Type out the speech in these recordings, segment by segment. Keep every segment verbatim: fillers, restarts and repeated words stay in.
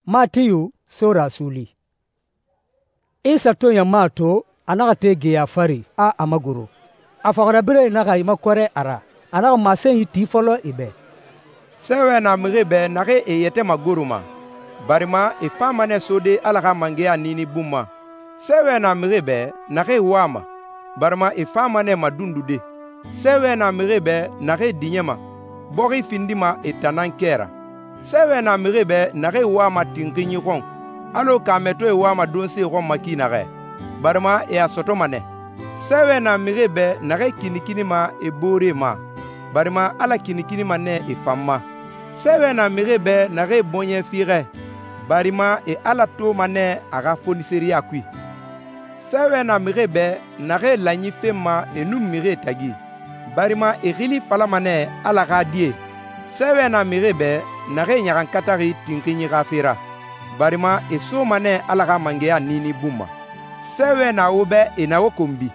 Matiyu sora suuli. Isa to ɲama to, a naxa te geya fari, a a magoro. A fɔxirabirɛe naxa e makɔrɛ a ra. A naxa masenyi ti fɔlɔ e bɛ. Sɛɛwɛ na mixie bɛ naxee e yɛtɛ magoroma, barima e fama nɛ sode Ala xa mangɛya niini bun ma. Sɛɛwɛ na mixie bɛ naxee wama, barima e fama nɛ madundude. Sɛɛwɛ na mixie bɛ naxee diɲɛma, bɔxi findima e tan nan kɛ ra. Sɛɛwɛ na mixie bɛ naxee wama tinxinyi xɔn, alɔ kaamɛtɔɛe wama donse xɔn ma ki naxɛ, barima e a sɔtɔma nɛ. Sɛɛwɛ na mixie bɛ naxee kinikinima e booree ma, barima Ala kinikinima nɛ e fan ma. Sɛɛwɛ na mixie bɛ naxee bɔɲɛ fiixɛ, barima e Ala toma nɛ a xa foniseriya kui. Sɛɛwɛ na mixie bɛ naxee lanyi fenma e nun mixie tagi, barima e xili falama nɛ Ala xa die. Sɛɛwɛ na mixie bɛ naxee ɲaxankataxi tinxinyi xa fe ra, barima e soma nɛ Ala xa mangɛya niini bun ma. Sɛɛwɛ na wo bɛ e na wo konbi,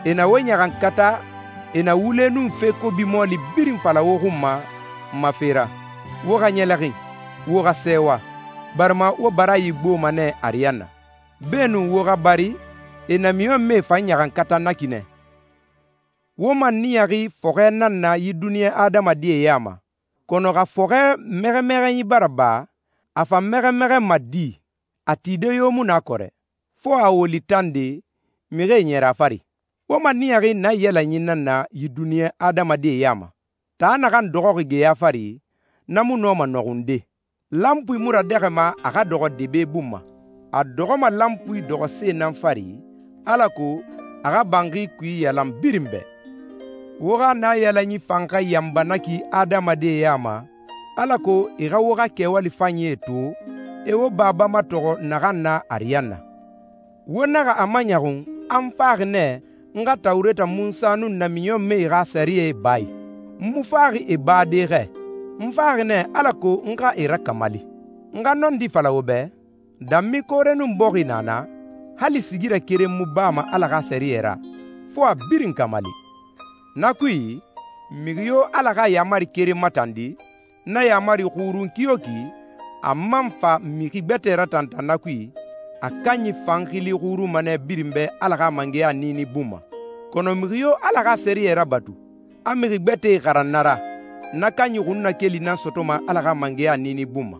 e na wo ɲaxankata, e na wule nun fe kobi mɔɔli birin fala wo xun ma ma fe ra. Wo xa ɲɛlɛxin, wo xa sɛɛwa, barima wo barayi gboma nɛ ariyanna. Beenun wo xa bari, e namiɲɔnmɛe fan ɲaxankata na ki nɛ. Wo man niyaxi fɔxɛ nan na yi duniɲa adamadie ya ma, kɔnɔ xa fɔxɛ mɛxɛmɛxɛnyi bara ba, a fan mɛxɛmɛxɛnma di, a tide yo mu na kɔrɛ, fo a woli tande, mixie ɲɛrɛ a fari. Wo man niyaxi naiyalanyi nan na yi duniɲa adamadie ya ma. Taa naxan dɔxɔxi geya fari, na mu nɔma nɔxunde. Lanpui mu radɛxɛma a xa dɔxɔ debe bun ma. A dɔxɔma lanpui dɔxɔse nan fari, alako a xa banxi kui yalan birin bɛ. Wo xa naiyalanyi fan xa yanba na ki adamadie ya ma, alako e xa wo xa kɛwali fanyie to, e wo Baba matɔxɔ naxan na ariyanna. Wo naxa a maɲɔxun a n faxi nɛ n xa Tawureta Munsa nun namiɲɔnmɛe xa sɛriyɛ baayi. N mu faxi e baade xɛ, n faxi nɛ alako n xa e rakamali. N xa nɔndi fala wo bɛ, danmi koore nun bɔxi na na, hali sigirɛ keren mu bama Ala xa sɛriyɛ ra, fo a birin kamali. Na kui, mixi yo Ala xa yaamari keren matandi, na yaamari xurun ki yo ki, a man fa mixi gbɛtɛ ratantan na kui, a kanyi fan xili xurunma nɛ birin bɛ Ala xa mangɛya niini bun ma. Kɔnɔ mixi yo Ala xa sɛriyɛ rabatu, a mixi gbɛtɛe xaran na ra, na kanyi xunnakeli nan sɔtɔma Ala xa mangɛya niini bun ma.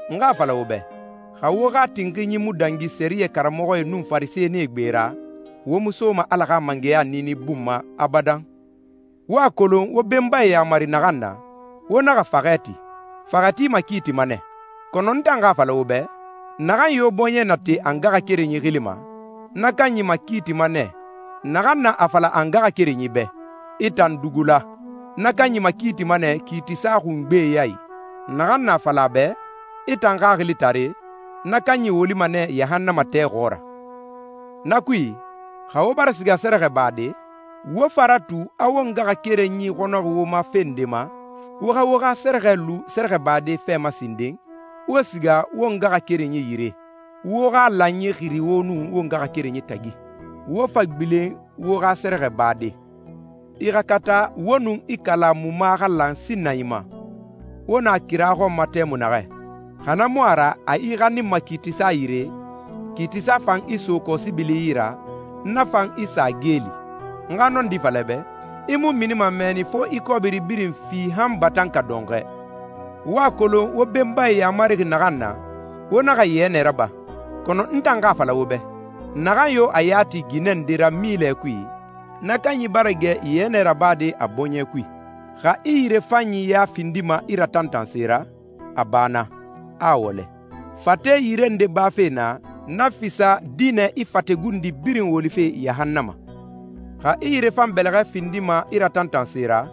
N xa fala wo bɛ, xa wo xa tinxinyi mu dangi sɛriyɛ karamɔxɔe nun farisɛnie gbe ra, wo mu soma Ala xa mangɛya niini bun ma abadan. Wo a kolon wo benbae yaamari naxan na, wo naxa faxɛ ti. Faxɛ tima kiiti ma nɛ. Kɔnɔ n tan xa fala wo bɛ, naxan yo bɔɲɛ nate a n ngaxakerenyi xili ma, na kanyi ma kiiti ma nɛ, naxan na a fala a n ngaxakerenyi bɛ, i tan dugula, na kanyi ma kiiti ma nɛ kiitisa xungbe ya i. Naxan na a fala a bɛ, i tan xaxili tare, na kanyi wolima nɛ yahannama tɛ xɔɔra. Na kui, xa wo bara siga sɛrɛxɛ baade, wo fara tu a wo ngaxakerenyi xɔnɔxi wo ma fen nde ma, wo xa wo xa sɛrɛxɛ lu sɛrɛxɛ baade fɛ ma sinden, wo siga wo ngaxakerenyi yire, wo xa lanyi xiri wo nun wo ngaxakerenyi tagi, wo fa gbilen wo xa sɛrɛxɛ baade. I xa kata wo nun i kalamuma xa lan sinnayi ma, wo na kira xɔn ma tɛmu naxɛ. Xa na mu a ra a i xaninma kiitisa yire, kiitisa fan i so kɔsibili yi ra, na fan i sa geeli. N xa nɔndi falɛ bɛ, i mu minima mɛɛni fo i kɔbiri birin fi han batan ka dɔnxɛ. Wo a kolon wo benbae yamarixi naxan na, wo naxa yɛnɛ raba. Kɔnɔ n tan xa fala wo bɛ, naxan yo a yati ginɛ nde ra milɛ kui, na kanyi bara gɛ yɛnɛ rabade a bɔɲɛ kui. Xa i yirefanyi ya findima i ratantanse ra, a baana, a wɔlɛ. Fate yire nde bafe na, na fisa dinɛ i fategundi birin wolife yahannama. Xa i yirefan bɛlɛxɛ findima i ratantanse ra,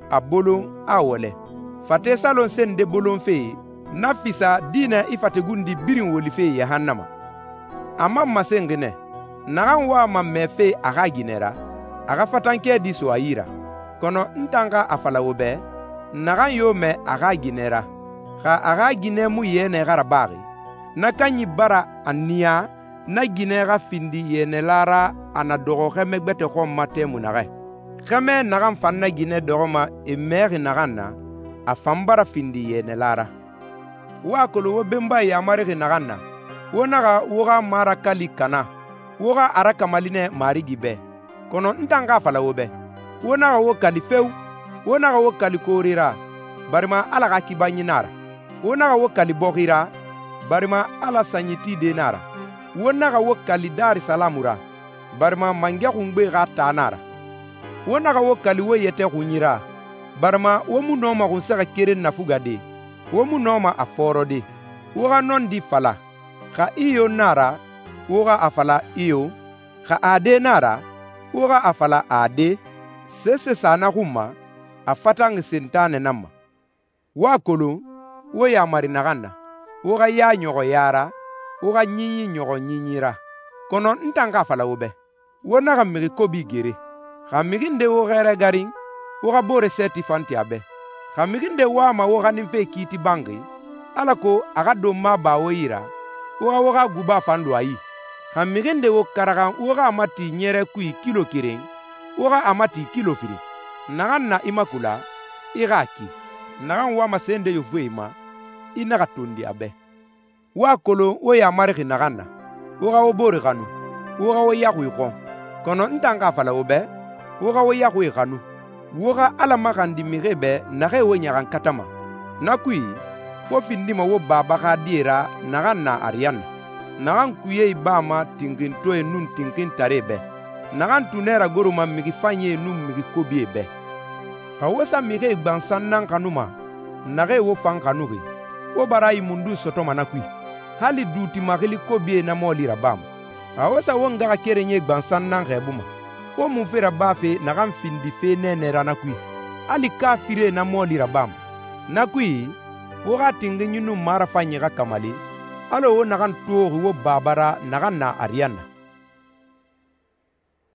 a bolon, a wɔlɛ. Fate salon sen nde bolonfe, na fisa dinɛ i fategundi birin wolife yahannama. A man masenxi nɛ, naxan wama mɛfe a xa ginɛ ra, a xa fatankɛ di so a yi ra. Kɔnɔ n tan xa a fala wo bɛ, naxan yo mɛ a xa ginɛ ra, xa a xa ginɛ mu yɛnɛ xa rabaxi, na kanyi bara a niya na ginɛ xa findi yɛnɛla ra a na dɔxɔ xɛmɛ gbɛtɛ xɔn ma tɛmu naxɛ. Xɛmɛ naxan fan na ginɛ dɔxɔma e mɛxi naxan na, a fan bara findi yɛnɛla ra. Wo a kolon wo benbae yamarixi naxan na, wo naxa wo xa marakali kana, wo xa a rakamali nɛ Marigi bɛ. Kɔnɔ n tan xa a fala wo bɛ, wo naxa wo kali feo, wo naxa wo kali koore ra, barima Ala xa kibanyi nan a ra. Wo naxa wo kali bɔxi ra, barima Ala sanyi tide nan a ra. Wo naxa wo kali Darisalamu ra, barima mangɛ xungbe xa taa nan a ra. Wo naxa wo kali wo yɛtɛ xunyi ra, barima wo mu nɔma xunsɛxɛ keren nafugade, wo mu nɔma a fɔɔrɔde. Wo xa nɔndi fala, xa iyo nan a ra, wo xa a fala iyo, xa ade nan a ra, wo xa a fala ade. Sese sa na xun ma, a fatanxi Sentanɛ nan ma. Wo a kolon wo yamari naxan na, wo xa ya ɲɔxɔ ya ra, wo xa ɲinyi ɲɔxɔ ɲinyi ra. Kɔnɔ n tan xa a fala wo bɛ, wo naxa mixi kobi gere. Xa mixi nde wo xɛrɛ garin, wo xa boore sɛɛti fan ti a bɛ. Xa mixi nde wama wo xaninfe kiiti banxi, alako a xa donma ba wo yi ra, wo xa wo xa guba fan lu a yi. Xa mixi nde wo karaxan wo xa a mati ɲɛrɛ kui kilo keren, wo xa a mati kilo firin. Naxan na i makula, i xa a ki. Naxan wama se nde yofuye ma, i naxa tondi a bɛ. Wo a kolon wo yamarixi naxan na, wo xa wo boore xanu, wo xa wo yaxuie xɔn. Kɔnɔ n tan xa a fala wo bɛ, wo xa wo yaxuie xanu. Wo xa Ala maxandi mixie bɛ naxee wo ɲaxankatama. Na kui, wo findima wo Baba xa die ra naxan na ariyanna, naxan kuyee bama tinxintɔɛe nun tinxintaree bɛ, naxan tunɛ ragoroma mixi fanyie nun mixi kobie bɛ. Xa wo sa mixie gbansan nan xanuma, naxee wo fan xanuxi, wo barayi mundun sɔtɔma na kui? Hali duuti maxili kobie na mɔɔli rabama. Xa wo sa wo ngaxakerenyie gbansan nan xɛɛbuma, wo munfe rabafe naxan findi fe nɛɛnɛ ra na kui? Hali kafiree na mɔɔli rabama. Na kui, wo xa tinxinyi nun marafanyi xa kamali, alɔ wo naxan toxi wo Baba ra naxan na ariyanna.